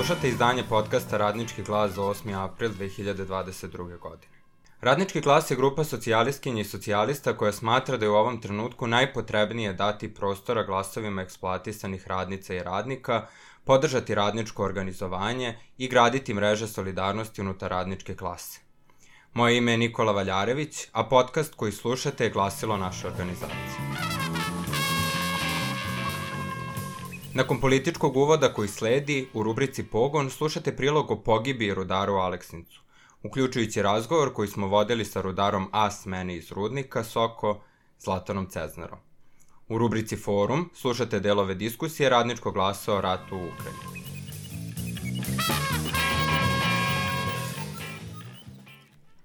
Slušate izdanje podcasta Radnički glas za 8. april 2022. godine. Radnički glas je grupa socijalistkinja i socijalista koja smatra da je u ovom trenutku najpotrebnije dati prostora glasovima eksploatisanih radnica i radnika, podržati radničko organizovanje i graditi mreže solidarnosti unutar radničke klase. Moje ime je Nikola Valjarević, a podcast koji slušate je glasilo naše organizacije. Nakon političkog uvoda koji sledi, u rubrici Pogon slušate prilog o pogibiji rudaru Aleksincu, uključujući razgovor koji smo vodili sa rudarom A. Smene iz Rudnika Soko, Zlatanom Ceznarom. U rubrici Forum slušate delove diskusije Radničkog glasa o ratu u Ukrajini.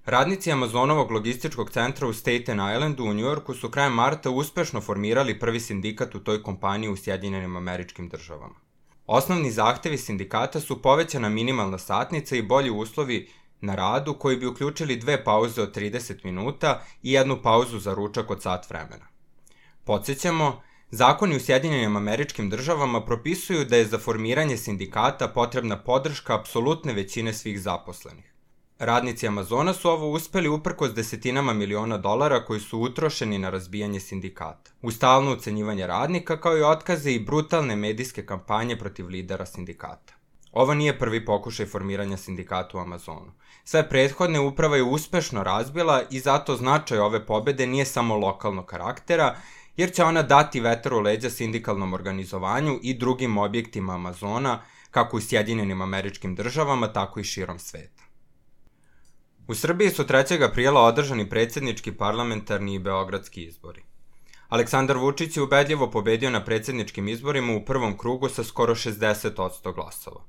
Radnici Amazonovog logističkog centra u Staten Islandu u Njujorku su krajem marta uspešno formirali prvi sindikat u toj kompaniji u Sjedinjenim Američkim Državama. Osnovni zahtevi sindikata su povećana minimalna satnica i bolji uslovi na radu koji bi uključili 2 pauze od 30 minuta i 1 pauzu za ručak od sat vremena. Podsjećamo, zakoni u Sjedinjenim Američkim Državama propisuju da je za formiranje sindikata potrebna podrška apsolutne većine svih zaposlenih. Radnici Amazona su ovo uspeli uprkos desetinama miliona dolara koji su utrošeni na razbijanje sindikata, u stalno ucenjivanje radnika kao i otkaze i brutalne medijske kampanje protiv lidera sindikata. Ovo nije prvi pokušaj formiranja sindikata u Amazonu. Sve prethodne uprava je uspešno razbila i zato značaj ove pobede nije samo lokalnog karaktera, jer će ona dati vetar u leđa sindikalnom organizovanju i drugim objektima Amazona, kako u Sjedinjenim Američkim Državama, tako i širom sveta. U Srbiji su 3. aprila održani predsjednički, parlamentarni i beogradski izbori. Aleksandar Vučić je ubedljivo pobedio na predsjedničkim izborima u prvom krugu sa skoro 60% glasova.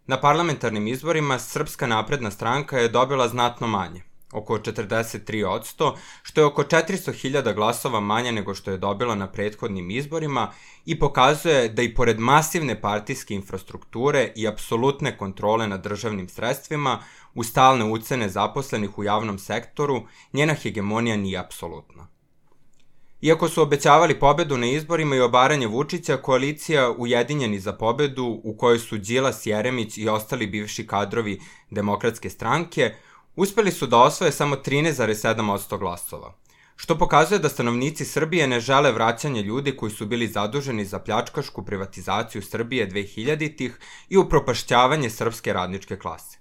Na parlamentarnim izborima Srpska napredna stranka je dobila znatno manje, oko 43%, što je oko 400.000 glasova manje nego što je dobila na prethodnim izborima i pokazuje da i pored masivne partijske infrastrukture i apsolutne kontrole nad državnim sredstvima, u stalne ucene zaposlenih u javnom sektoru, njena hegemonija nije apsolutna. Iako su obećavali pobedu na izborima i obaranje Vučića, koalicija Ujedinjeni za pobedu, u kojoj su Đilas, Jeremić i ostali bivši kadrovi Demokratske stranke, uspeli su da osvoje samo 13,7% glasova, što pokazuje da stanovnici Srbije ne žele vraćanje ljudi koji su bili zaduženi za pljačkašku privatizaciju Srbije 2000-ih i upropašćavanje srpske radničke klase.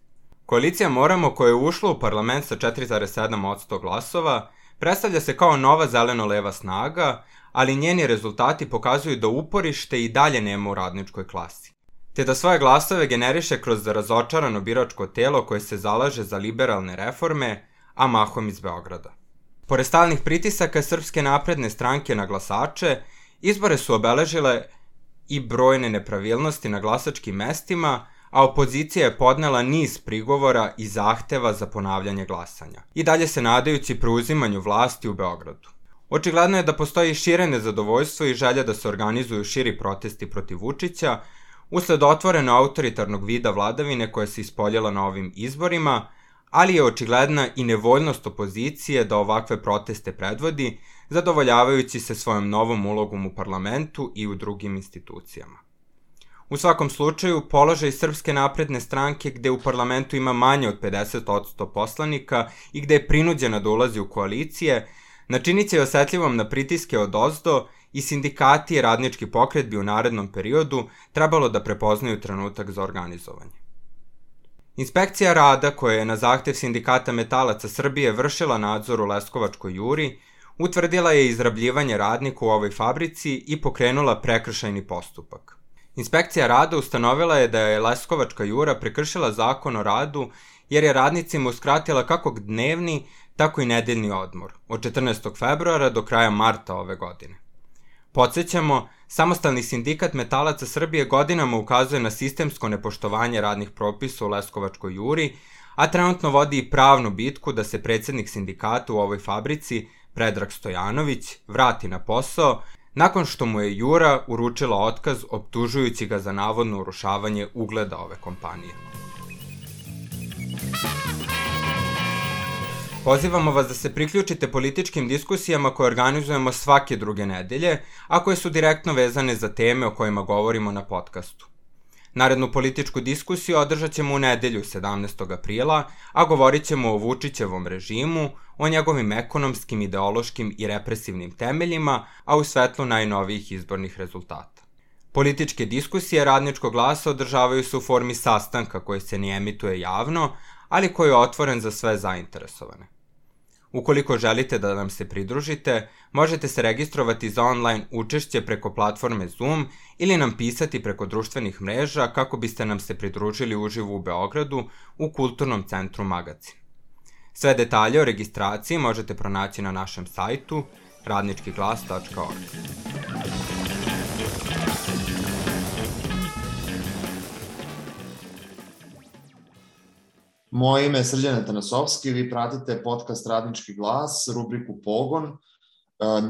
Koalicija Moramo, koja je ušla u parlament sa 4,7% glasova, predstavlja se kao nova zeleno-leva snaga, ali njeni rezultati pokazuju da uporište i dalje nema u radničkoj klasi, te da svoje glasove generiše kroz razočarano biračko telo koje se zalaže za liberalne reforme, a mahom iz Beograda. Pored stalnih pritisaka Srpske napredne stranke na glasače, izbore su obeležile i brojne nepravilnosti na glasačkim mestima, a opozicija je podnela niz prigovora i zahteva za ponavljanje glasanja, i dalje se nadajući preuzimanju vlasti u Beogradu. Očigledno je da postoji šire nezadovoljstvo i želja da se organizuju širi protesti protiv Vučića, usled otvoreno autoritarnog vida vladavine koja se ispoljila na ovim izborima, ali je očigledna i nevoljnost opozicije da ovakve proteste predvodi, zadovoljavajući se svojom novom ulogom u parlamentu i u drugim institucijama. U svakom slučaju, položaj Srpske napredne stranke, gde u parlamentu ima manje od 50% poslanika i gde je prinuđena da ulazi u koalicije, načinit će osetljivom na pritiske odozdo i sindikati i radnički pokret bi u narednom periodu trebalo da prepoznaju trenutak za organizovanje. Inspekcija rada, koja je na zahtev Sindikata metalaca Srbije vršila nadzor u Leskovačkoj juri, utvrdila je izrabljivanje radnika u ovoj fabrici i pokrenula prekršajni postupak. Inspekcija rada ustanovila je da je Leskovačka jura prekršila zakon o radu jer je radnicima uskratila kako dnevni, tako i nedeljni odmor, od 14. februara do kraja marta ove godine. Podsjećamo, Samostalni sindikat metalaca Srbije godinama ukazuje na sistemsko nepoštovanje radnih propisa u Leskovačkoj juri, a trenutno vodi i pravnu bitku da se predsjednik sindikata u ovoj fabrici, Predrag Stojanović, vrati na posao, nakon što mu je jura uručila otkaz optužujući ga za navodno urušavanje ugleda ove kompanije. Pozivamo vas da se priključite političkim diskusijama koje organizujemo svake druge nedelje, a koje su direktno vezane za teme o kojima govorimo na podcastu. Narednu političku diskusiju održat ćemo u nedelju 17. aprila, a govorit ćemo o Vučićevom režimu, o njegovim ekonomskim, ideološkim i represivnim temeljima, a u svetlu najnovijih izbornih rezultata. Političke diskusije Radničkog glasa održavaju se u formi sastanka koji se ne emituje javno, ali koji je otvoren za sve zainteresovane. Ukoliko želite da nam se pridružite, možete se registrovati za online učešće preko platforme Zoom ili nam pisati preko društvenih mreža kako biste nam se pridružili uživo u Beogradu u Kulturnom centru Magacin. Sve detalje o registraciji možete pronaći na našem sajtu radničkiglas.org. Moje ime je Srđan Atanasovski, vi pratite podcast Radnički glas, rubriku Pogon.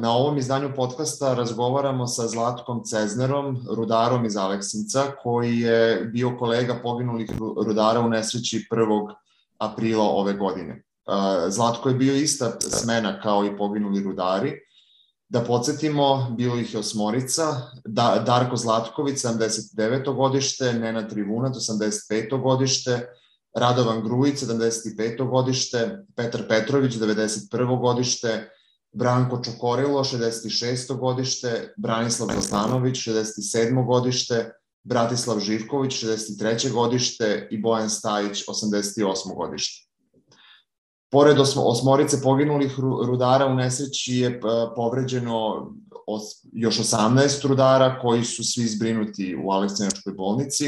Na ovom izdanju podcasta razgovaramo sa Zlatkom Ceznerom, rudarom iz Aleksinca, koji je bio kolega poginulih rudara u nesreći 1. aprila ove godine. Zlatko je bio ista smena kao i poginuli rudari. Da podsjetimo, bilo ih je 8. Darko Zlatković, 79. godište, Nenad Trivunat, 85. godište, Radovan Grujić, 75. godište, Petar Petrović, 91. godište, Branko Čokorilo, 66. godište, Branislav Zaslanović, 67. godište, Bratislav Živković, 63. godište i Bojan Stajić, 88. godište. Pored 8 poginulih rudara u nesreći je povređeno još 18 rudara koji su svi zbrinuti u Aleksinačkoj bolnici.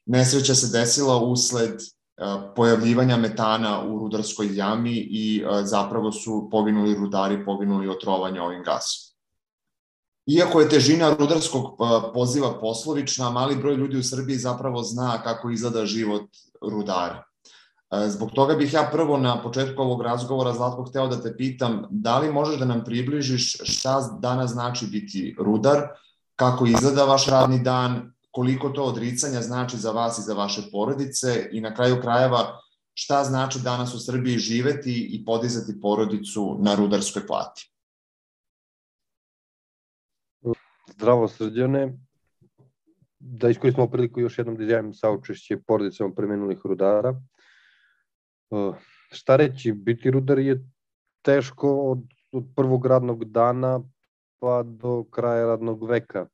Nesreća se desila usled pojavljivanja metana u rudarskoj jami i zapravo su poginuli rudari poginuli od trovanja ovim gasom. Iako je težina rudarskog poziva poslovična, mali broj ljudi u Srbiji zapravo zna kako izgleda život rudara. Zbog toga bih ja prvo na početku ovog razgovora, Zlatko, hteo da te pitam da li možeš da nam približiš šta danas znači biti rudar, kako izgleda vaš radni dan, koliko to odricanja znači za vas i za vaše porodice i na kraju krajeva šta znači danas u Srbiji živeti i podizati porodicu na rudarskoj plati. Zdravo, Srđane. Da iskoristimo priliku još jednom da izjavim saučešće porodicama preminulih rudara. Šta reći, biti rudar je teško od prvog radnog dana pa do kraja radnog veka.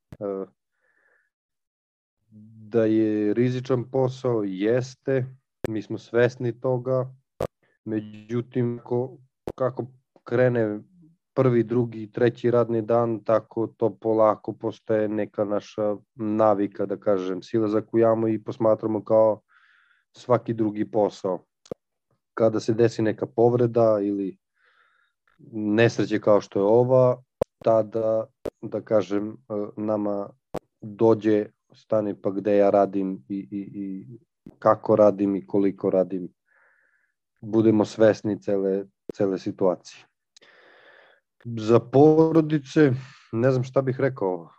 Da je rizičan posao, jeste, mi smo svesni toga, međutim kako krene prvi, drugi, treći radni dan, tako to polako postaje neka naša navika, da kažem, silazak u jamu i posmatramo kao svaki drugi posao. Kada se desi neka povreda ili nesreće kao što je ova, tada, da kažem, nama dođe stani pa gde ja radim i kako radim i koliko radim. Budemo svesni cele situacije. Za porodice, ne znam šta bih rekao.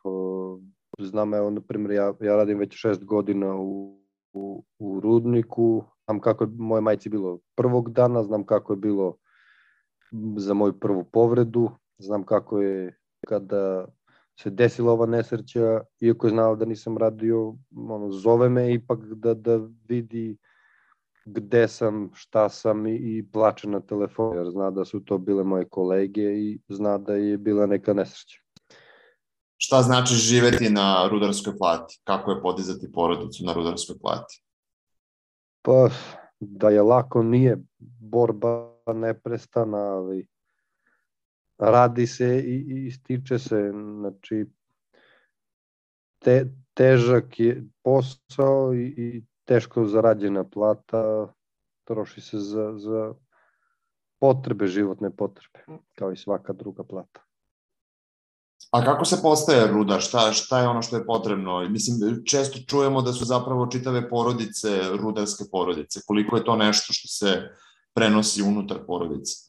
Znam, evo, na primjer, ja radim već 6 godina u rudniku. Znam kako je moje majci bilo prvog dana, znam kako je bilo za moju prvu povredu, znam kako je kada se desila ova nesreća, iako je znala da nisam radio, zove me ipak da vidi gde sam, šta sam i plače na telefon, jer zna da su to bile moje kolege i zna da je bila neka nesreća. Šta znači živeti na rudarskoj plati? Kako je podizati porodicu na rudarskoj plati? Pa, da je lako nije, borba neprestana, ali radi se i stiče se, znači težak je posao i teško zarađena plata, troši se za potrebe, životne potrebe, kao i svaka druga plata. A kako se postaje rudar? Šta je ono što je potrebno? Mislim, često čujemo da su zapravo čitave porodice rudarske porodice. Koliko je to nešto što se prenosi unutar porodice?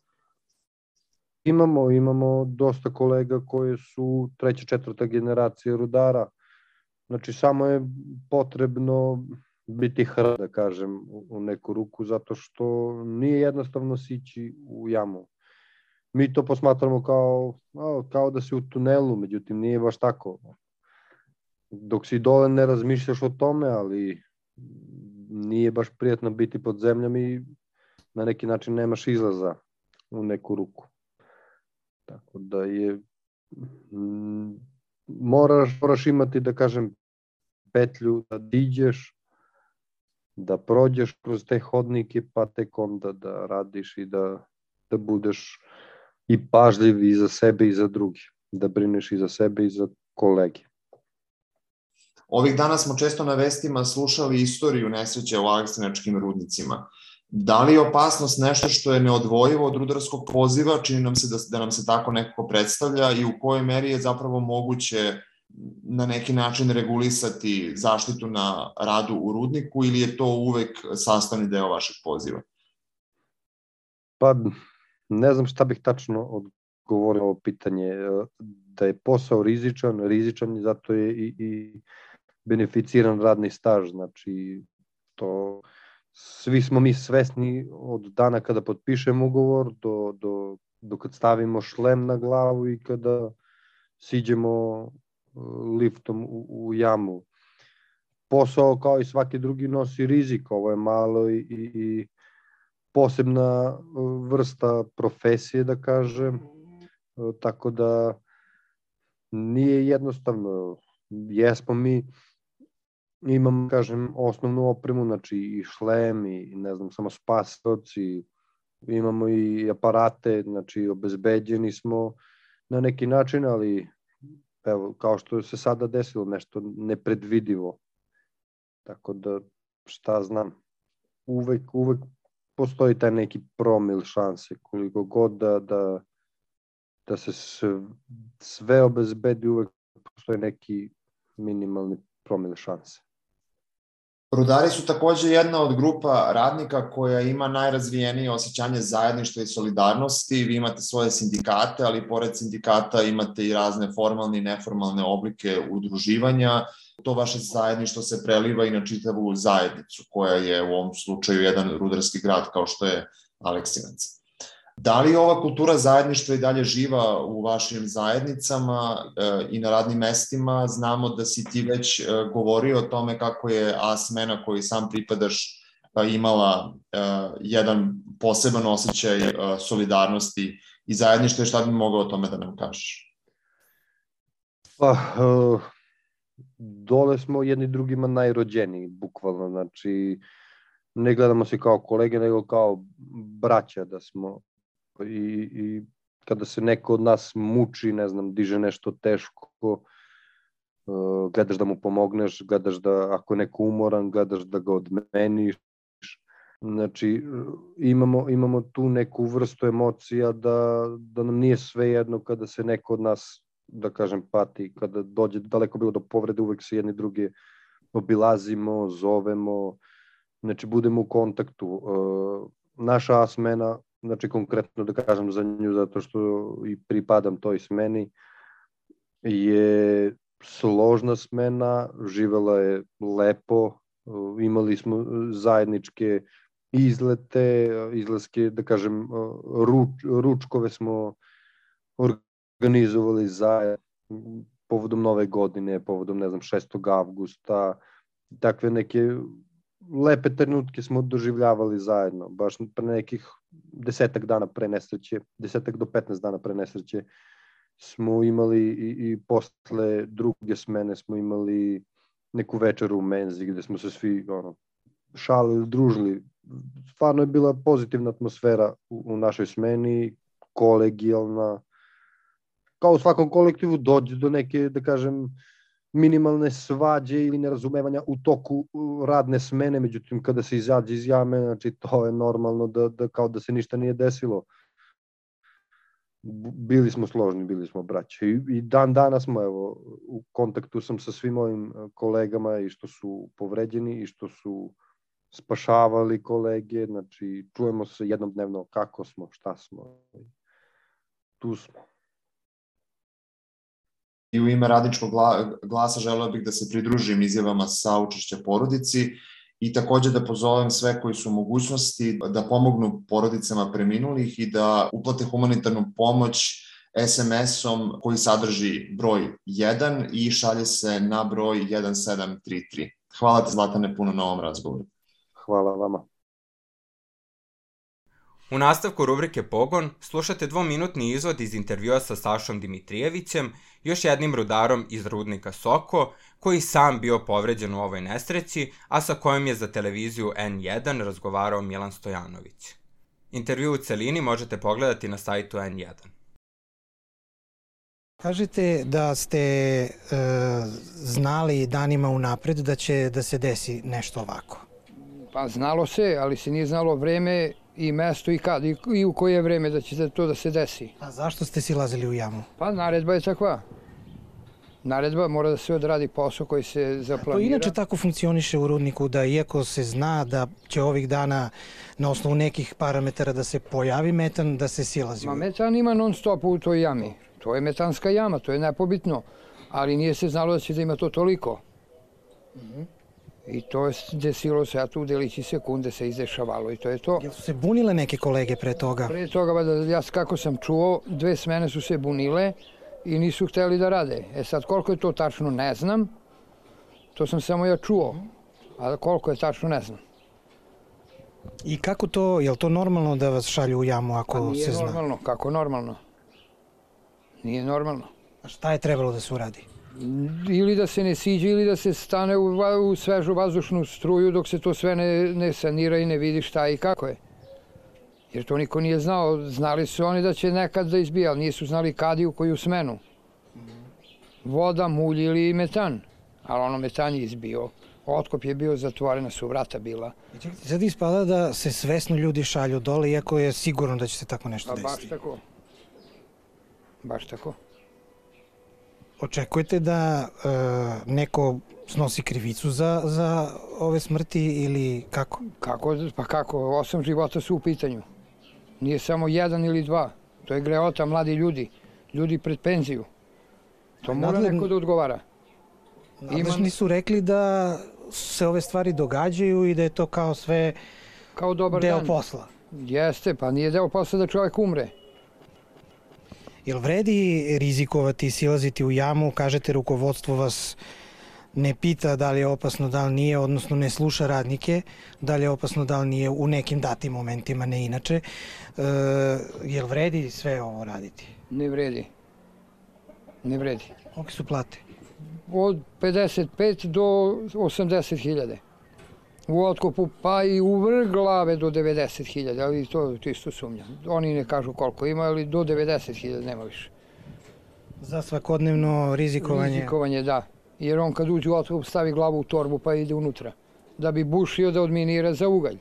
Imamo dosta kolega koji su 3. 4. generacija rudara. Znači, samo je potrebno biti hrabar, da kažem, u neku ruku, zato što nije jednostavno sići u jamu. Mi to posmatramo kao da si u tunelu, međutim nije baš tako. Dok si dole ne razmišljaš o tome, ali nije baš prijatno biti pod zemljom i na neki način nemaš izlaza u neku ruku. Tako da je moraš imati, da kažem, petlju da diđeš, da prođeš kroz te hodnike, pa tek onda da radiš i da budeš i pažljiv i za sebe i za drugi, da brineš i za sebe i za kolege. Ovih dana smo često na vestima slušali istoriju nesreće u aleksinačkim rudnicima. Da li je opasnost nešto što je neodvojivo od rudarskog poziva, čini nam se da nam se tako nekako predstavlja i u kojoj meri je zapravo moguće na neki način regulisati zaštitu na radu u rudniku ili je to uvek sastavni deo vašeg poziva? Pa ne znam šta bih tačno odgovorio na ovo pitanje. Da je posao rizičan i zato je i beneficiran radni staž. Znači, svi smo mi svesni od dana kada potpišemo ugovor do kad stavimo šlem na glavu i kada siđemo liftom u jamu. Posao kao i svaki drugi nosi rizik, ovo je malo i posebna vrsta profesije, da kažem, tako da nije jednostavno. Jesmo mi, imamo, kažem, osnovnu opremu, znači i šlem i ne znam, samo spasioci, imamo i aparate, znači obezbeđeni smo na neki način, ali evo, kao što se sada desilo, nešto nepredvidivo. Tako da, šta znam, uvek postoji taj neki promil šanse, koliko god da se sve obezbedi, uvek postoji neki minimalni promil šanse. Rudari su takođe jedna od grupa radnika koja ima najrazvijenije osjećanje zajedništva i solidarnosti. Vi imate svoje sindikate, ali pored sindikata imate i razne formalne i neformalne oblike udruživanja. To vaše zajedništvo se preliva i na čitavu zajednicu, koja je u ovom slučaju jedan rudarski grad kao što je Aleksinac. Da li ova kultura zajedništva i dalje živa u vašim zajednicama i na radnim mestima? Znamo da si ti već govorio o tome kako je A smena koju sam pripadaš imala jedan poseban osjećaj solidarnosti i zajedništva. Šta bi mogao o tome da nam kažeš? Pa, dole smo jedni drugima najrođeniji, bukvalno. Znači, ne gledamo se kao kolege, nego kao braća da smo. I kada se neko od nas muči, ne znam, diže nešto teško, gledaš da mu pomogneš, gledaš da ako je neko umoran, gledaš da ga odmeniš. Znači, imamo tu neku vrstu emocija da nam nije svejedno kada se neko od nas, da kažem, pati, kada dođe daleko bilo do povrede, uvek se jedni druge obilazimo, zovemo, znači budemo u kontaktu. Naša smena, znači konkretno da kažem za nju, zato što i pripadam toj smeni, je složna smena, živela je lepo, imali smo zajedničke izlaske, da kažem, ručkove smo organizovali zajedno povodom Nove godine, povodom, ne znam, 6. avgusta, takve neke lepe trenutke smo doživljavali zajedno, baš pre nekih 10 dana pre nesreće, 10 do 15 dana pre nesreće smo imali i posle druge smene smo imali neku večeru u menzi gde smo se svi šalili, družili. Stvarno je bila pozitivna atmosfera u našoj smeni, kolegijalna. Kao u svakom kolektivu dođe do neke, da kažem, minimalne svađe ili nerazumevanja u toku radne smene, međutim kada se izađe iz jame, znači to je normalno da kao da se ništa nije desilo. Bili smo složni, bili smo braća i dan danas smo, evo, u kontaktu sam sa svim mojim kolegama i što su povređeni i što su spašavali kolege, znači čujemo se jednom dnevno kako smo, šta smo, tu smo. I u ime Radničkog glasa želeo bih da se pridružim izjavama saučešća porodici i takođe da pozovem sve koji su u mogućnosti da pomognu porodicama preminulih i da uplate humanitarnu pomoć SMS-om koji sadrži broj 1 i šalje se na broj 1733. Hvala ti, Zlatane, puno na ovom razgovoru. Hvala vama. U nastavku rubrike Pogon slušate 2-minutni izvod iz intervjua sa Sašom Dimitrijevićem, još jednim rudarom iz rudnika Soko, koji sam bio povređen u ovoj nesreći, a sa kojom je za televiziju N1 razgovarao Milan Stojanović. Intervju u celini možete pogledati na sajtu N1. Kažete da ste znali danima unapred da će da se desi nešto ovako. Pa znalo se, ali se nije znalo vreme i mesto i kad i u koje vreme da će to da se desi. A zašto ste silazili u jamu? Pa naredba je takva. Naredba mora da se odradi posao koji se zaplanira. To inače tako funkcioniše u rudniku, da iako se zna da će ovih dana na osnovu nekih parametara da se pojavi metan, da se silazi u jamu. Metan ima non stop u toj jami. To je metanska jama, to je nepobitno. Ali nije se znalo da će da ima to toliko. I to je desilo se, a tu u delići sekunde se izdešavalo i to je to. Jel su se bunile neke kolege pre toga? Pre toga, ja kako sam čuo, 2 smene su se bunile i nisu hteli da rade. Sad, koliko je to tačno, ne znam. To sam samo ja čuo, a koliko je tačno, ne znam. I kako to, je li to normalno da vas šalju u jamu ako se zna? Nije normalno, kako normalno? Nije normalno. A šta je trebalo da se uradi? Ili da se ne siđe, ili da se stane u svežu vazdušnu struju dok se to sve ne sanira i ne vidi šta i kako je. Jer to niko nije znao. Znali su oni da će nekad da izbija, ali nisu znali kad i u koju smenu. Voda, mulj ili metan. Ali ono metan je izbio. Otkop je bio, zatvorena su vrata bila. Sad ispada da se svesno ljudi šalju dole, iako je sigurno da će se tako nešto desiti. Baš tako. Baš tako. Očekujete da neko snosi krivicu za ove smrti ili kako? Pa kako, 8 života su u pitanju. Nije samo 1 ili 2. To je greota, mladi ljudi. Ljudi pred penziju. To mora neko da odgovara. Nadležni su rekli da se ove stvari događaju i da je to kao sve kao dobar deo dan. Posla. Jeste, pa nije deo posla da čovjek umre. Jel vredi rizikovati i silaziti u jamu? Kažete, rukovodstvo vas ne pita da li je opasno, da li nije, odnosno ne sluša radnike, da li je opasno, da li nije u nekim datim momentima, ne inače. Jel vredi sve ovo raditi? Ne vredi. Ne vredi. Kolike su plate? Od 55 do 80.000. U otkopu pa i u vrh glave do 90.000, ali to isto sumnjam. Oni ne kažu koliko ima, ali do 90.000 nema više. Za svakodnevno rizikovanje? Rizikovanje, da. Jer on kad uđe u otkop stavi glavu u torbu pa ide unutra. Da bi bušio da odminira za ugalj.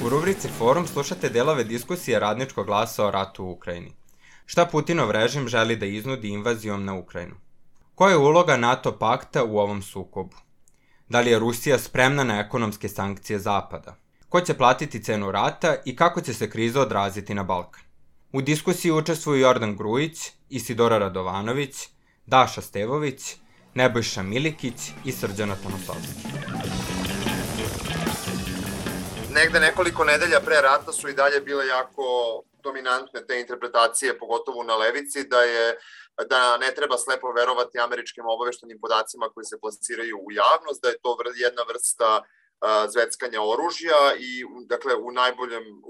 U rubrici Forum slušate delove diskusije Radničkog glasa o ratu u Ukrajini. Šta Putinov režim želi da iznudi invazijom na Ukrajinu? Koja je uloga NATO pakta u ovom sukobu? Da li je Rusija spremna na ekonomske sankcije Zapada? Ko će platiti cenu rata i kako će se kriza odraziti na Balkan? U diskusiji učestvuju Jordan Grujić, Isidora Radovanović, Daša Stevović, Nebojša Milikić i Srđana Tomasovski. Negde nekoliko nedelja pre rata su i dalje bile jako dominantne te interpretacije, pogotovo na levici, da ne treba slepo verovati američkim obaveštajnim podacima koji se plasiraju u javnost, da je to jedna vrsta zveckanja oružja i dakle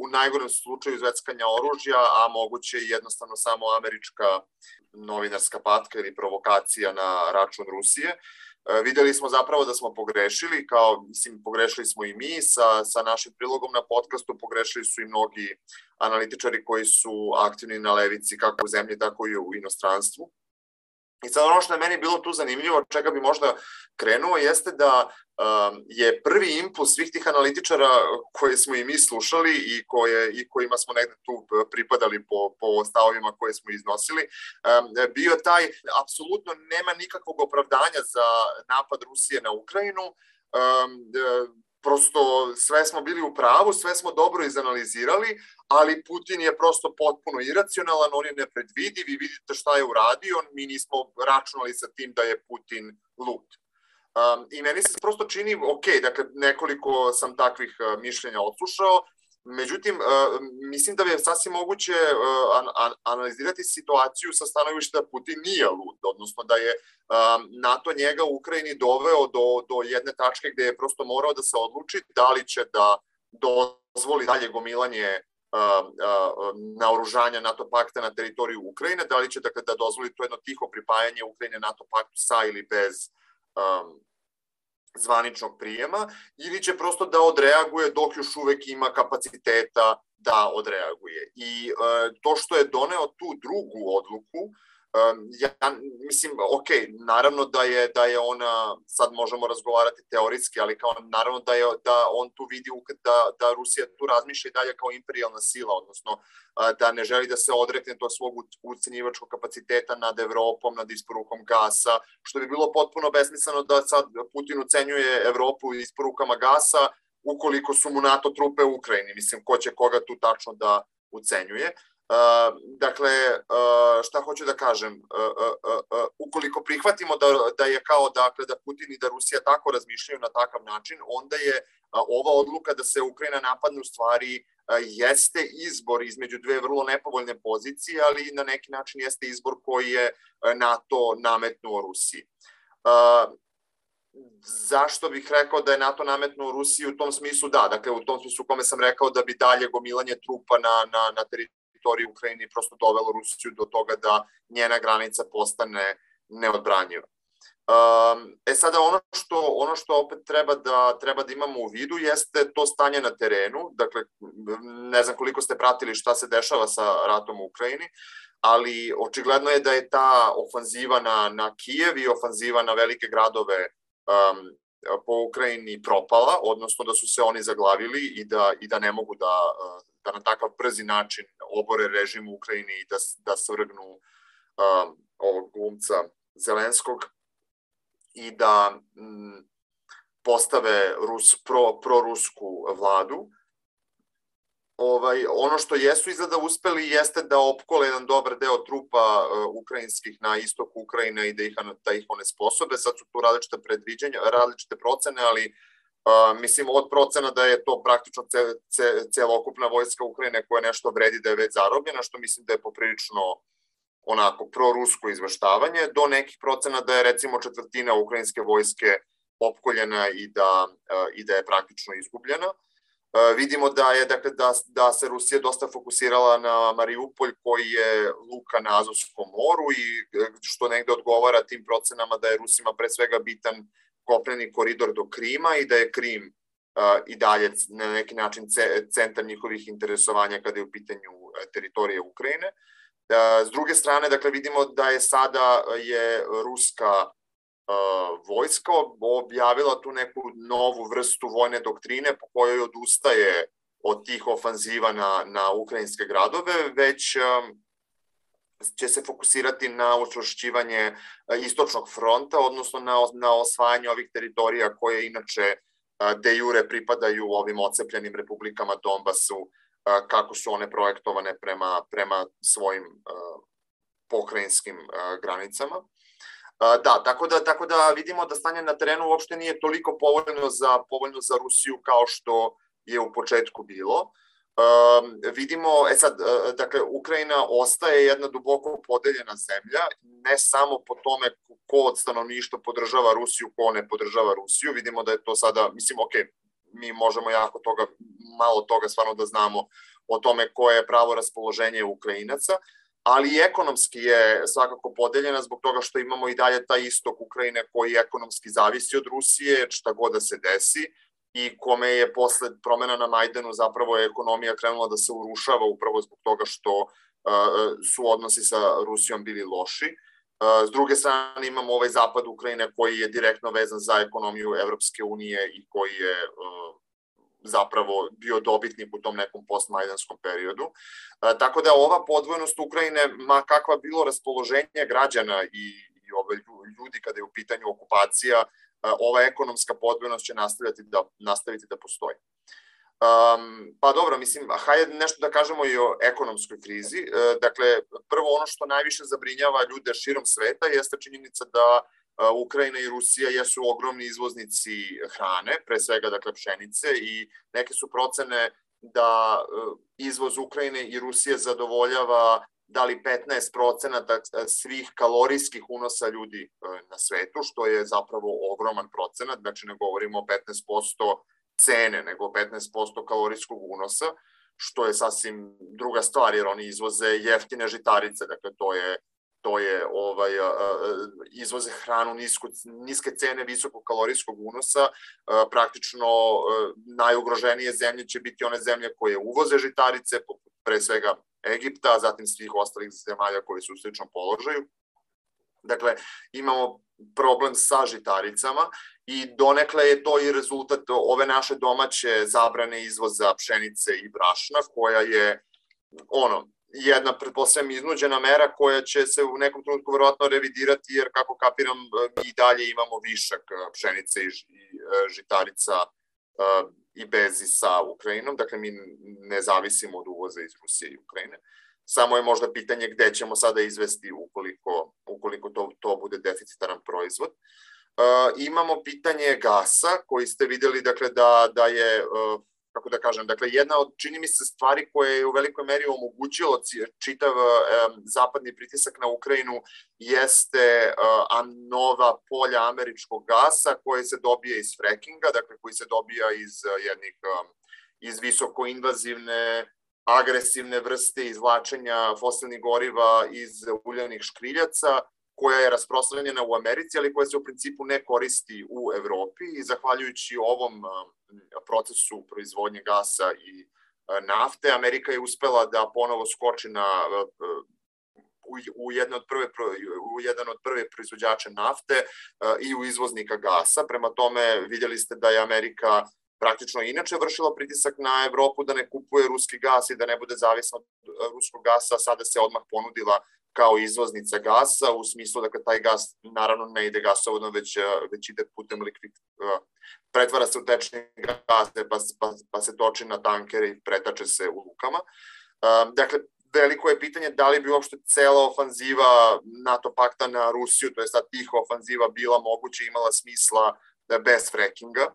u najgorem slučaju zveckanja oružja, a moguće i jednostavno samo američka novinarska patka ili provokacija na račun Rusije. Videli smo zapravo da smo pogrešili, pogrešili smo i mi sa našim prilogom na podcastu, pogrešili su i mnogi analitičari koji su aktivni na levici kako u zemlji, tako i u inostranstvu. I sad ono što je meni bilo tu zanimljivo, čega bi možda krenuo, jeste da je prvi impuls svih tih analitičara koje smo i mi slušali i kojima smo negde tu pripadali po stavovima koje smo iznosili, bio taj, apsolutno nema nikakvog opravdanja za napad Rusije na Ukrajinu, prosto sve smo bili u pravu, sve smo dobro izanalizirali, ali Putin je prosto potpuno iracionalan, on je nepredvidiv i vidite šta je uradio, mi nismo računali sa tim da je Putin lud. I meni se prosto čini, ok, dakle nekoliko sam takvih mišljenja odslušao Međutim, mislim da je sasvim moguće analizirati situaciju sa stanovišta Putin nije lud, odnosno da je NATO njega u Ukrajini doveo do jedne tačke gde je prosto morao da se odluči da li će da dozvoli dalje gomilanje naoružanja NATO pakta na teritoriju Ukrajine, da li će da dozvoli to jedno tiho pripajanje Ukrajine NATO paktu sa ili bez zvaničnog prijema, ili će prosto da odreaguje dok još uvek ima kapaciteta da odreaguje. I to što je doneo tu drugu odluku, ja mislim, ok, naravno da je ona, sad možemo razgovarati teoretski, ali kao naravno da on tu vidi da Rusija tu razmišlja i dalje kao imperijalna sila, odnosno da ne želi da se odrekne tog svog ucenjivačkog kapaciteta nad Evropom, nad isporukom gasa, što bi bilo potpuno besmisleno da sad Putin ucenjuje Evropu isporukama gasa ukoliko su mu NATO trupe u Ukrajini. Mislim, ko će koga tu tačno da ucenjuje. Dakle, šta hoću da kažem, ukoliko prihvatimo da je kao da Putin i da Rusija tako razmišljaju na takav način, onda je ova odluka da se Ukrajina napadne u stvari jeste izbor između dve vrlo nepovoljne pozicije, ali na neki način jeste izbor koji je NATO nametnuo Rusiji. Zašto bih rekao da je NATO nametnuo Rusiji u tom smislu? Da, dakle u tom smislu u kome sam rekao da bi dalje gomilanje trupa na teritoriji Ukrajini prosto dovelo Rusiju do toga da njena granica postane neodbranjiva. Sada ono što opet treba da imamo u vidu jeste to stanje na terenu. Dakle, ne znam koliko ste pratili šta se dešava sa ratom u Ukrajini, ali očigledno je da je ta ofanziva na Kijev i ofanziva na velike gradove po Ukrajini propala, odnosno da su se oni zaglavili i da ne mogu da na takav brzi način obore režim u Ukrajini i da svrgnu ovog glumca Zelenskog i da postave prorusku vladu. Ono što jesu izgleda uspeli jeste da opkole jedan dobar deo trupa ukrajinskih na istoku Ukrajine i da ih onesposobe. Sad su tu različite predviđanja, različite procene, ali mislim od procena da je to praktično celokupna vojska Ukrajine koja nešto vredi da je već zarobljena, što mislim da je poprilično onako prorusko izveštavanje, do nekih procena da je recimo četvrtina ukrajinske vojske opkoljena i da je praktično izgubljena. Vidimo da se Rusija dosta fokusirala na Mariupolj koji je luka na Azovskom moru i što negde odgovara tim procenama da je Rusima pre svega bitan kopneni koridor do Krima i da je Krim i dalje na neki način centar njihovih interesovanja kada je u pitanju teritorije Ukrajine. S druge strane, dakle, vidimo da je sada ruska vojska objavila tu neku novu vrstu vojne doktrine po kojoj odustaje od tih ofanziva na ukrajinske gradove, već će se fokusirati na učvršćivanje istočnog fronta, odnosno na osvajanje ovih teritorija koje inače de jure pripadaju ovim ocepljenim republikama Donbasu, kako su one projektovane prema svojim pokrajinskim granicama. Da, tako da vidimo da stanje na terenu uopšte nije toliko povoljno za Rusiju kao što je u početku bilo. Vidimo, dakle, Ukrajina ostaje jedna duboko podeljena zemlja, ne samo po tome ko od stanovništva podržava Rusiju, ko ne podržava Rusiju. Vidimo da je to sada, mislim, ok, mi možemo malo toga stvarno da znamo o tome koje je pravo raspoloženje Ukrajinaca, ali i ekonomski je svakako podeljena zbog toga što imamo i dalje taj istok Ukrajine koji ekonomski zavisi od Rusije, šta god da se desi, i kome je posle promena na Majdanu zapravo ekonomija krenula da se urušava upravo zbog toga što su odnosi sa Rusijom bili loši. S druge strane imamo ovaj zapad Ukrajine koji je direktno vezan za ekonomiju Evropske unije i koji je zapravo bio dobitnik u tom nekom postmajdanskom periodu. Tako da ova podvojnost Ukrajine, ma kakva bilo raspoloženje građana i ljudi kada je u pitanju okupacija, ova ekonomska podvojnost će nastaviti da postoji. Pa dobro, mislim, hajde nešto da kažemo i o ekonomskoj krizi. Dakle, prvo ono što najviše zabrinjava ljude širom sveta jeste činjenica da Ukrajina i Rusija jesu ogromni izvoznici hrane, pre svega dakle pšenice, i neke su procene da izvoz Ukrajine i Rusije zadovoljava da li 15% svih kalorijskih unosa ljudi na svetu, što je zapravo ogroman procenat, znači ne govorimo o 15% cene, nego 15% kalorijskog unosa, što je sasvim druga stvar, jer oni izvoze jeftine žitarice, dakle izvoze hranu niske cene visokog kalorijskog unosa, praktično najugroženije zemlje će biti one zemlje koje uvoze žitarice, pre svega Egipta, a zatim svih ostalih zemalja koji su u sličnom položaju. Dakle, imamo problem sa žitaricama i donekle je to i rezultat ove naše domaće zabrane izvoza pšenice i brašna, koja je jedna, pretpostavljam, iznuđena mera koja će se u nekom trenutku verovatno revidirati, jer kako kapiram, mi i dalje imamo višak pšenice i žitarica i bezi sa Ukrajinom, dakle mi ne zavisimo od uvoza iz Rusije i Ukrajine. Samo je možda pitanje gde ćemo sada izvesti ukoliko to bude deficitaran proizvod. Imamo pitanje gasa, koji ste videli, dakle, da je, kako da kažem, dakle, jedna od, čini mi se, stvari koje je u velikoj meri omogućilo čitav zapadni pritisak na Ukrajinu jeste nova polja američkog gasa koje se dobije iz frackinga, dakle, koji se dobija iz visokoinvazivne, agresivne vrste izvlačenja fosilnih goriva iz uljanih škriljaca, koja je rasprostranjena u Americi, ali koja se u principu ne koristi u Evropi, i zahvaljujući ovom procesu proizvodnje gasa i nafte, Amerika je uspela da ponovo skoči u jedan od prve proizvođača nafte i u izvoznika gasa. Prema tome, vidjeli ste da je Amerika praktično inače vršila pritisak na Evropu da ne kupuje ruski gas i da ne bude zavisna od ruskog gasa, sada se odmah ponudila kao izvoznica gasa, u smislu da taj gas naravno ne ide gasovodno, već ide putem pretvara se u tečni gas, pa se toči na tankere i pretače se u lukama. Dakle, veliko je pitanje da li bi uopšte cela ofanziva NATO pakta na Rusiju, to je sad tiha ofanziva, bila moguća i imala smisla bez frackinga.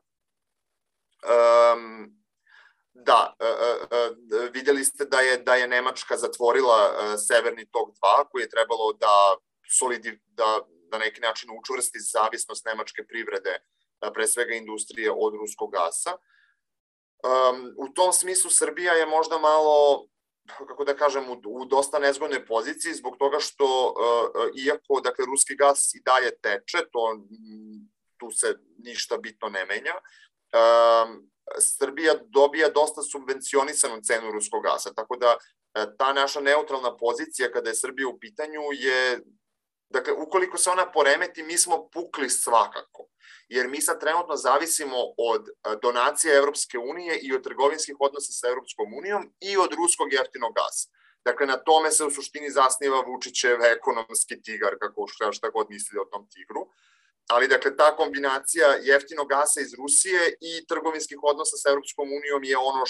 Da, vidjeli ste da je Nemačka zatvorila Severni tok 2, koji je trebalo da na neki način učvrsti zavisnost nemačke privrede, pre svega industrije, od ruskog gasa. U tom smislu Srbija je možda malo, kako da kažem, u dosta nezgodnoj poziciji, zbog toga što, iako, dakle, ruski gas i dalje teče, tu se ništa bitno ne menja, Srbija dobija dosta subvencionisanu cenu ruskog gasa, tako da ta naša neutralna pozicija kada je Srbija u pitanju je, dakle, ukoliko se ona poremeti, mi smo pukli svakako, jer mi sad trenutno zavisimo od donacija Evropske unije i od trgovinskih odnosa sa Evropskom unijom i od ruskog jeftinog gasa. Dakle, na tome se u suštini zasniva Vučićev ekonomski tigar, šta god misli o tom tigru. Ali, dakle, ta kombinacija jeftinog gasa iz Rusije i trgovinskih odnosa sa Evropskom unijom je ono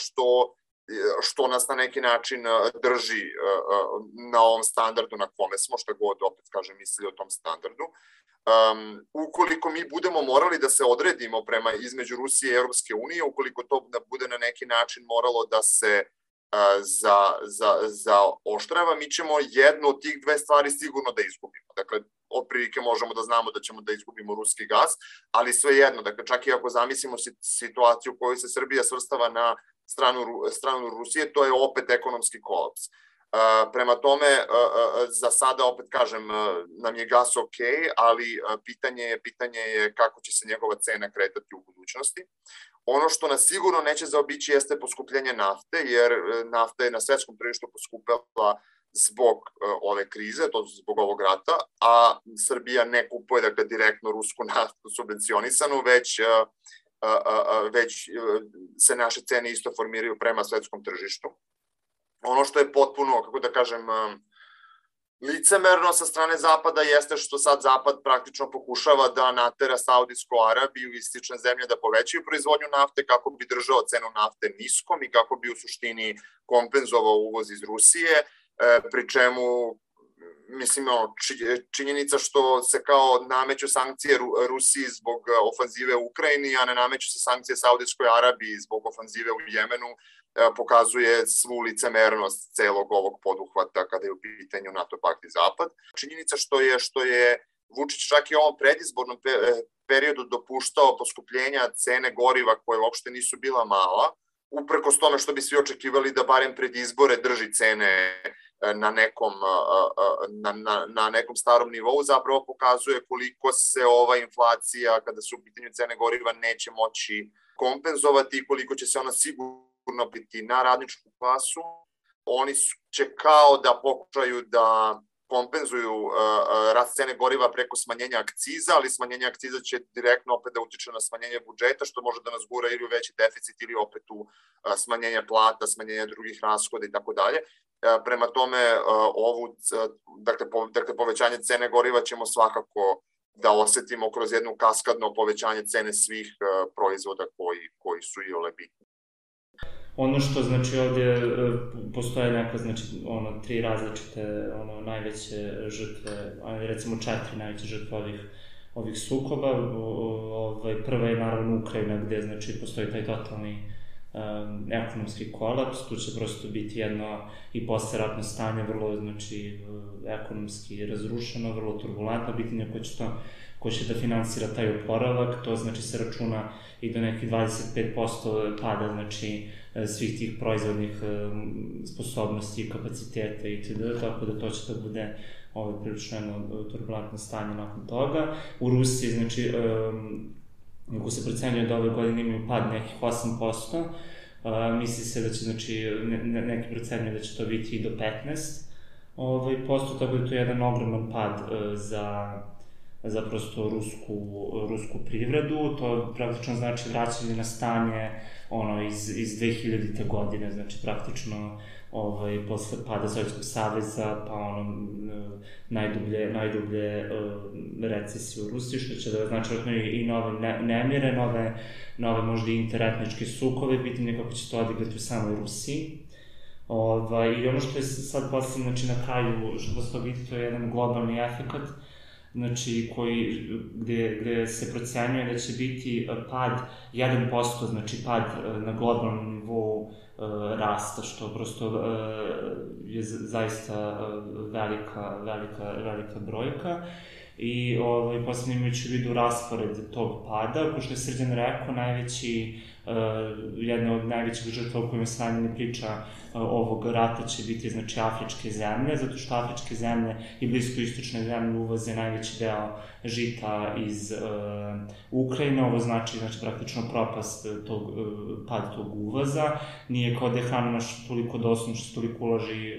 što nas na neki način drži na ovom standardu na kome smo, što god, opet kažem, mislili o tom standardu. Ukoliko mi budemo morali da se odredimo između Rusije i Evropske unije, ukoliko to bude na neki način moralo da se zaoštrava, mi ćemo jednu od tih dve stvari sigurno da izgubimo. Dakle, otprilike možemo da znamo da ćemo da izgubimo ruski gas, ali svejedno, dakle, čak i ako zamislimo situaciju u kojoj se Srbija svrstava na stranu Rusije, to je opet ekonomski kolaps. Prema tome, za sada, opet kažem, nam je gas ok, ali pitanje je kako će se njegova cena kretati u budućnosti. Ono što nas sigurno neće zaobići jeste poskupljenje nafte, jer nafta je na svetskom tržištu poskupela zbog ove krize, to zbog ovog rata, a Srbija ne kupuje, dakle, direktno rusku naftu subvencionisanu, već se naše cene isto formiraju prema svetskom tržištu. Ono što je potpuno, kako da kažem, licemerno sa strane Zapada jeste što sad Zapad praktično pokušava da natera Saudijsku Arabiju i slične zemlje da povećaju proizvodnju nafte kako bi držao cenu nafte niskom i kako bi u suštini kompenzovao uvoz iz Rusije, pri čemu, mislim, činjenica što se kao nameću sankcije Rusiji zbog ofanzive u Ukrajini, a ne nameću se sankcije Saudijskoj Arabiji zbog ofanzive u Jemenu, pokazuje svu licemernost celog ovog poduhvata kada je u pitanju NATO pakt i Zapad. Činjenica što je Vučić čak i u ovom predizbornom periodu dopuštao poskupljenja cene goriva koje uopšte nisu bila mala, uprkos tome što bi svi očekivali da barem pred izbore drži cene na nekom starom nivou, zapravo pokazuje koliko se ova inflacija, kada su u pitanju cene goriva, neće moći kompenzovati i koliko će se ona sigurno biti na radničku klasu. Oni će kao da pokušaju da kompenzuju rast cene goriva preko smanjenja akciza, ali smanjenje akciza će direktno opet da utiče na smanjenje budžeta, što može da nas gura ili u veći deficit ili opet u smanjenje plata, smanjenje drugih rashoda i tako dalje. Prema tome, povećanje cene goriva ćemo svakako da osetimo kroz jedno kaskadno povećanje cene svih proizvoda koji su i ole bitni. Ono što, znači, ovdje postoje neka, znači, tri različite, najveće žrtve, recimo 4 najveće žrtve ovih sukoba. Prva je naravno Ukrajina, gde, znači, postoji taj totalni ekonomski kolaps. Tu će prosto biti jedno i posleratno stanje, vrlo, znači, ekonomski razrušeno, vrlo turbulentno, pitanje ko će da finansira taj oporavak. To, znači, se računa i do nekih 25% pada, znači, svih tih proizvodnih sposobnosti, kapaciteta itd. Tako da to će da bude prilično jedno turbulentno stanje nakon toga. U Rusiji, znači, ako se procenjuje da ove godine imaju pad nekih 8%, misli se da će, znači, neki procenjuje da će to biti i do 15%, tako da to je jedan ogroman pad za prosto rusku privredu. To praktično znači vraćanje na stanje iz 2000. godine, znači praktično posle pada Sovjetskog saveza, pa najdublje recesije u Rusiji, što će da znači i nove nemire, nove možda i interetničke sukove, pitanje kako će to odigrati u samoj Rusiji. I ono što je sad posle, znači na kraju, što se to vidi, to je jedan globalni efekat, znači, gde se procenjuje da će biti pad 1%, znači pad na globalnom nivou rasta, što prosto je zaista velika brojka. I posebno imajući u vidu raspored tog pada, ko što je Srđan rekao, jedna od najvećih žrtva o kojima se najmanje priča ovog rata će biti, znači, afričke zemlje, zato što afričke zemlje i bliskoistočne zemlje uvoze najveći deo žita iz Ukrajine. Ovo znači praktično propast pad tog uvoza. Nije kao da je hrana naša toliko dostupna, što se toliko uloži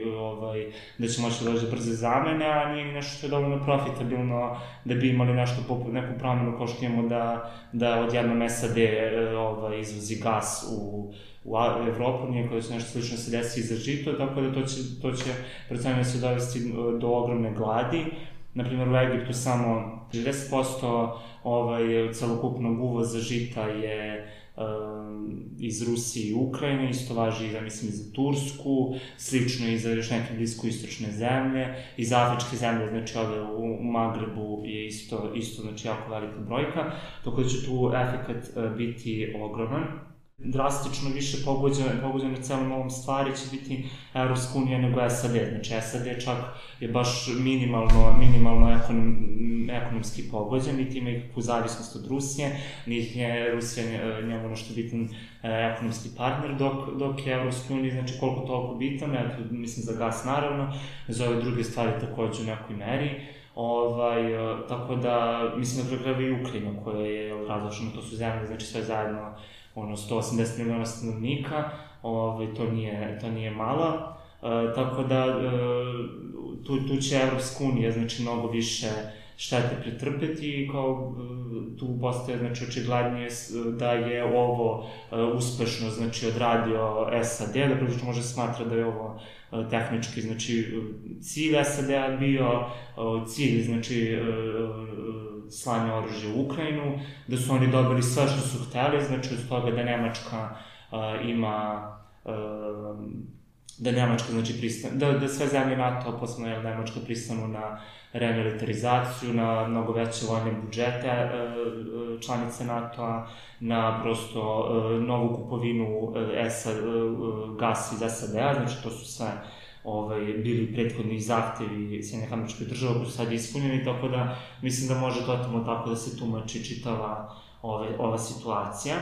da će moći da dođe brze zamene, a nije nešto što je dovoljno profitabilno da bi imali neku promenu kao što imamo da odjednom SAD izvozi gas u Evropu, nije kao da će nešto slično se desi za žito, tako da to će procenjeno se dovesti do ogromne gladi. Naprimjer, u Egiptu samo 60% celokupnog uvoza žita je iz Rusije i Ukrajine, isto važi, ja mislim, i za Tursku, slično i za još neke bliskoistočne zemlje, i za afričke zemlje, znači ove u Magrebu je isto, znači, jako velika brojka, tako da će tu efekat biti ogroman. Drastično više pogođen na celom ovom stvari će biti Evropska unija nego SAD. Znači, SAD čak je baš minimalno ekonomski pogođen, niti ima ikakvu zavisnost od Rusije, niti je Rusija njemu nešto bitan ekonomski partner, dok je Evropska unija, znači, koliko toliko bitan, mislim za gas naravno, za ove druge stvari takođe u nekoj meri. Tako da, mislim da prekreva i Ukrajina koja je različna, to su zemlje, znači sve zajedno 180 miliona stanovnika, to nije malo, tako da tu će Evropska unija, znači, mnogo više štete pretrpeti i tu postaje, znači, očiglednije da je ovo uspešno, znači, odradio SAD, da prilično može smatra da je ovo tehnički, znači, cilj SAD-a bio cilj, znači, slanja oružja u Ukrajinu, da su oni dobili sve što su hteli, znači od toga da Nemačka ima da Nemačka, znači, da sve zemlje NATO, posebno Nemačka, pristanu na remilitarizaciju, na mnogo veće vojne budžete članice NATO-a, na prosto novu kupovinu gasa iz SAD-a, znači to su sve bili prethodni zahtevi Sjedinjenih Američkih Država koji su sad ispunjeni, tako da mislim da može totalno tako da se tumači čitava ova situacija.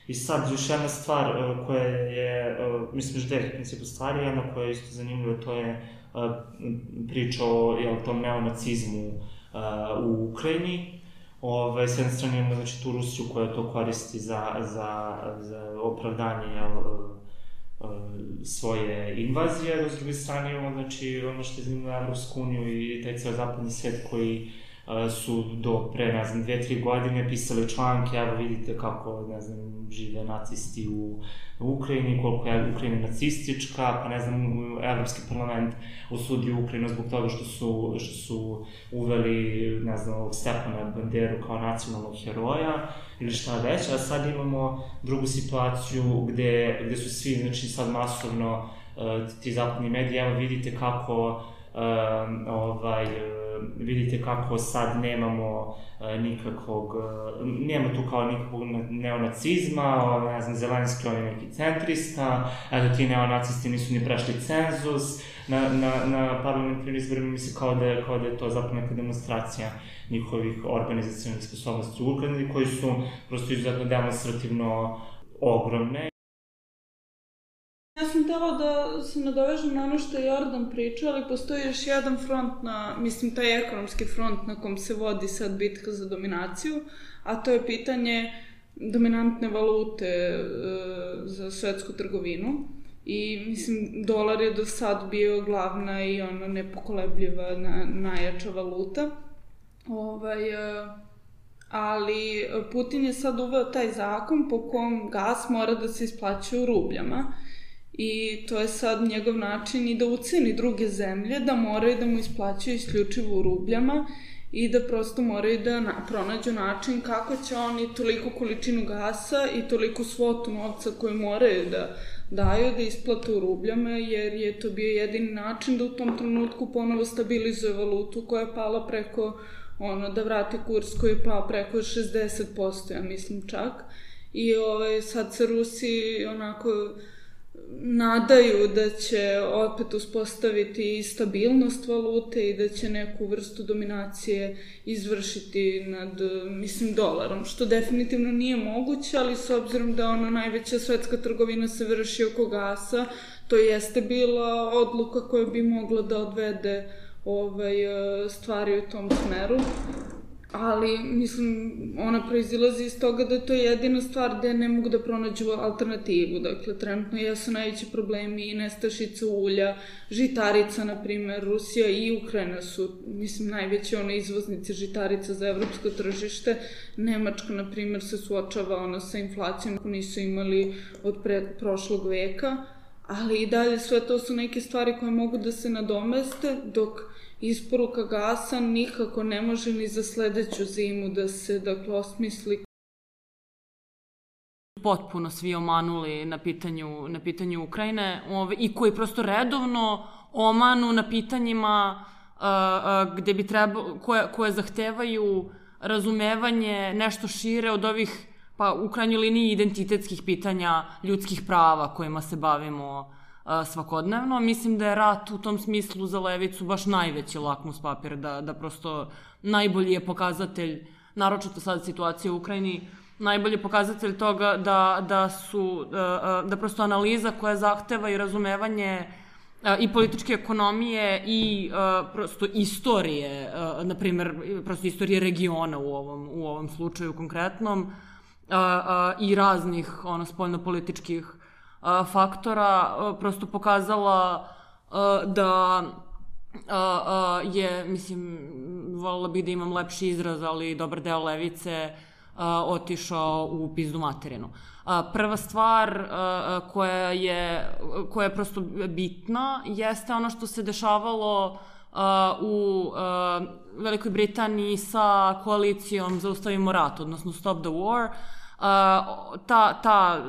I sad još jedna stvar koja je, mislim još 9 principu stvari, jedna koja je isto zanimljiva, to je priča o tom neonacizmu u Ukrajini. S jedne strane imamo znači tu Rusiju koja to koristi za opravdanje svoje invazije, dok s druge strane imamo znači ono što je zanimljivo Evropsku uniju i taj ceo zapadni svijet koji su do pre, ne znam, 2-3 godine pisali članke, evo vidite kako, ne znam, žive nacisti u Ukrajini, koliko je Ukrajina nacistička, pa ne znam, Evropski parlament osudio Ukrajinu zbog toga što su uveli, ne znam, ovog Stepana Banderu kao nacionalnog heroja ili šta već, a sad imamo drugu situaciju gde su svi, znači sad masovno ti zapadni mediji, evo vidite kako vidite kako sad nemamo nema tu kao nikakvog neonacizma, ne znam, Zelenski on je neki centrista, eto ti neonacisti nisu ni prešli cenzus, na parlamentarnim izborima misli kao da je to zapravo neka demonstracija njihovih organizacionalnih sposobnosti u Ukrajini, koji su prosto izuzetno demonstrativno ogromne. Ja sam htjela da se nadovežem na ono što je Jordan pričao, ali postoji još jedan front, mislim taj ekonomski front na kom se vodi sad bitka za dominaciju, a to je pitanje dominantne valute za svetsku trgovinu. I mislim, dolar je do sad bio glavna i ona nepokolebljiva najjača valuta. Ali Putin je sad uveo taj zakon po kom gas mora da se isplaćuje u rubljama. I to je sad njegov način i da uceni druge zemlje da moraju da mu isplaćaju isključivo u rubljama i da prosto moraju da pronađu način kako će oni toliko količinu gasa i toliko svotu novca koju moraju da daju da isplate u rubljama, jer je to bio jedini način da u tom trenutku ponovo stabilizuje valutu koja je pala preko, da vrati kurs koji je pao preko 60%, ja mislim čak. I sad se Rusi onako nadaju da će opet uspostaviti stabilnost valute i da će neku vrstu dominacije izvršiti nad, mislim, dolarom, što definitivno nije moguće, ali s obzirom da najveća svetska trgovina se vrši oko gasa, to jeste bila odluka koja bi mogla da odvede stvari u tom smeru. Ali, mislim, ona proizilazi iz toga da je to jedina stvar gde ne mogu da pronađu alternativu. Dakle, trenutno jesu najveći problemi i nestašica ulja, žitarica, na primer, Rusija i Ukrajina su, mislim, najveći izvoznici žitarica za evropsko tržište. Nemačka, na primer, se suočava sa inflacijom koju nisu imali od prošlog veka, ali i dalje sve to su neke stvari koje mogu da se nadomeste, dok isporuka gasa nikako ne može ni za sledeću zimu da se, dakle, osmisli. Potpuno svi omanuli na pitanju Ukrajine i koji prosto redovno omanu na pitanjima gde bi koje zahtevaju razumevanje nešto šire od ovih, pa u krajnjoj liniji, identitetskih pitanja ljudskih prava kojima se bavimo svakodnevno. Mislim da je rat u tom smislu za levicu baš najveći lakmus papir, da prosto najbolji je pokazatelj, naročito sad situacija u Ukrajini, najbolji pokazatelj toga da prosto analiza koja zahteva i razumevanje i političke ekonomije i prosto istorije, na primer, prosto istorije regiona u ovom slučaju konkretnom, i raznih spoljnopolitičkih faktora, prosto pokazala da je, mislim, voljela bi da imam lepši izraz, ali dobar deo levice otišao u pizdu materinu. Prva stvar koja je prosto bitna jeste ono što se dešavalo u Velikoj Britaniji sa koalicijom Zaustavimo rat, odnosno Stop the War. Ta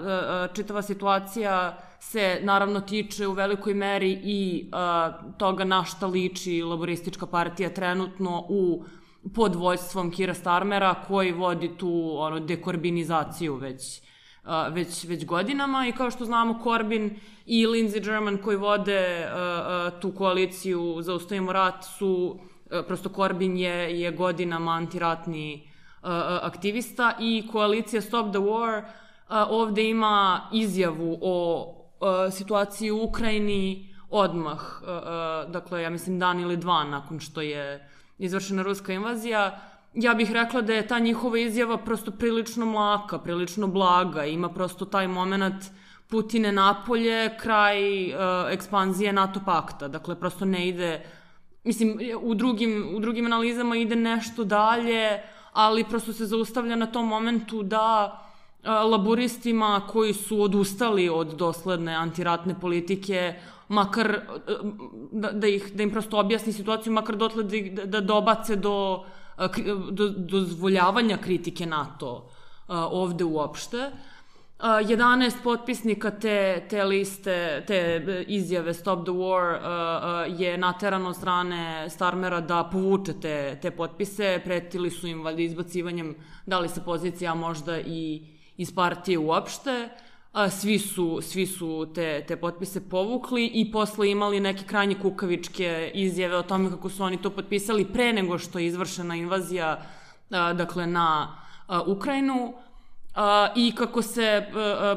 čitava situacija se naravno tiče u velikoj meri i toga na šta liči Laboristička partija trenutno pod vođstvom Keira Starmera, koji vodi tu dekorbinizaciju već godinama. I kao što znamo, Corbyn i Lindsey German koji vode tu koaliciju Zaustavimo rat su, prosto Corbyn je godinama antiratni aktivista i koalicija Stop the War ovde ima izjavu o situaciji u Ukrajini odmah, dakle ja mislim dan ili dva nakon što je izvršena ruska invazija. Ja bih rekla da je ta njihova izjava prosto prilično mlaka, prilično blaga, ima prosto taj moment Putine napolje, kraj ekspanzije NATO pakta, dakle prosto ne ide, mislim u drugim analizama ide nešto dalje, ali prosto se zaustavlja na tom momentu da laboristima koji su odustali od dosledne antiratne politike, makar da im prosto objasni situaciju, makar dotle da dobace do dozvoljavanja kritike NATO ovde uopšte. 11 potpisnika te liste, te izjave Stop the War je naterano od strane Starmera da povuče te potpise, pretili su im valjda izbacivanjem, da li sa pozicija, možda i iz partije uopšte. Svi su te potpise povukli i posle imali neke krajnje kukavičke izjave o tome kako su oni to potpisali pre nego što je izvršena invazija, dakle, na Ukrajinu, i kako se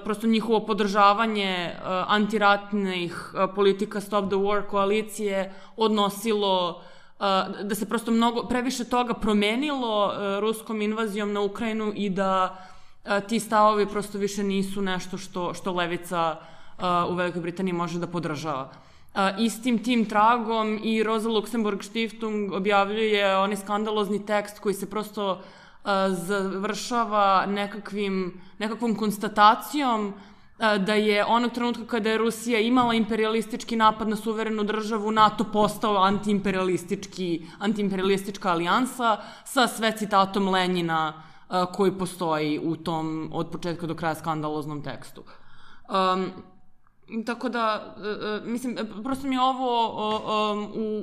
prosto njihovo podržavanje antiratnih politika Stop the War koalicije odnosilo, da se prosto previše toga promenilo ruskom invazijom na Ukrajinu i da ti stavovi prosto više nisu nešto što levica u Velikoj Britaniji može da podržava. Istim tim tragom i Rosa Luxemburg Stiftung objavljuje onaj skandalozni tekst koji se prosto završava nekakvom konstatacijom da je onog trenutka kada je Rusija imala imperialistički napad na suverenu državu, NATO postao antiimperialistička alijansa sa sve citatom Lenjina koji postoji u tom od početka do kraja skandaloznom tekstu. Tako da, mislim, prosto mi je ovo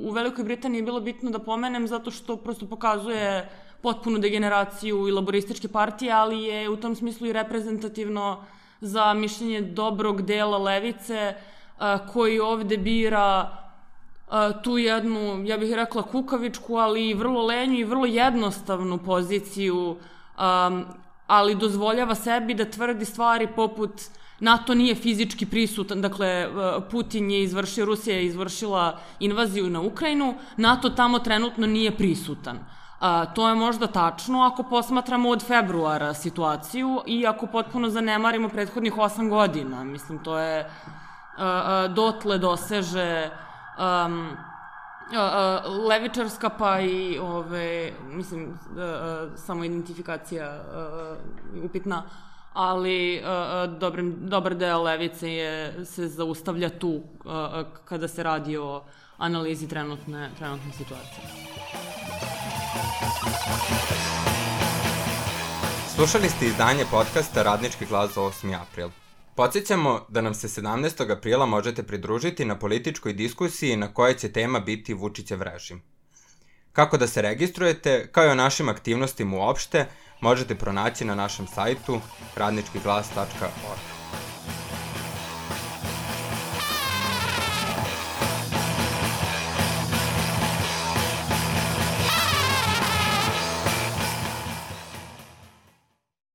u Velikoj Britaniji bilo bitno da pomenem zato što prosto pokazuje potpunu degeneraciju i laborističke partije, ali je u tom smislu i reprezentativno za mišljenje dobrog dela levice koji ovde bira tu jednu, ja bih rekla, kukavičku, ali vrlo lenju i vrlo jednostavnu poziciju, ali dozvoljava sebi da tvrdi stvari poput NATO nije fizički prisutan, dakle Rusija je izvršila invaziju na Ukrajinu, NATO tamo trenutno nije prisutan. To je možda tačno ako posmatramo od februara situaciju i ako potpuno zanemarimo prethodnih 8 godina. Mislim, to je dotle doseže levičarska pa i mislim, samo identifikacija upitna, ali dobar deo levice se zaustavlja tu kada se radi o analizi trenutne situacije. Slušali ste izdanje podcasta Radnički glas za 8. april. Podsjećamo da nam se 17. aprila možete pridružiti na političkoj diskusiji na kojoj će tema biti Vučićev režim. Kako da se registrujete, kao i o našim aktivnostima uopšte, možete pronaći na našem sajtu radničkiglas.org.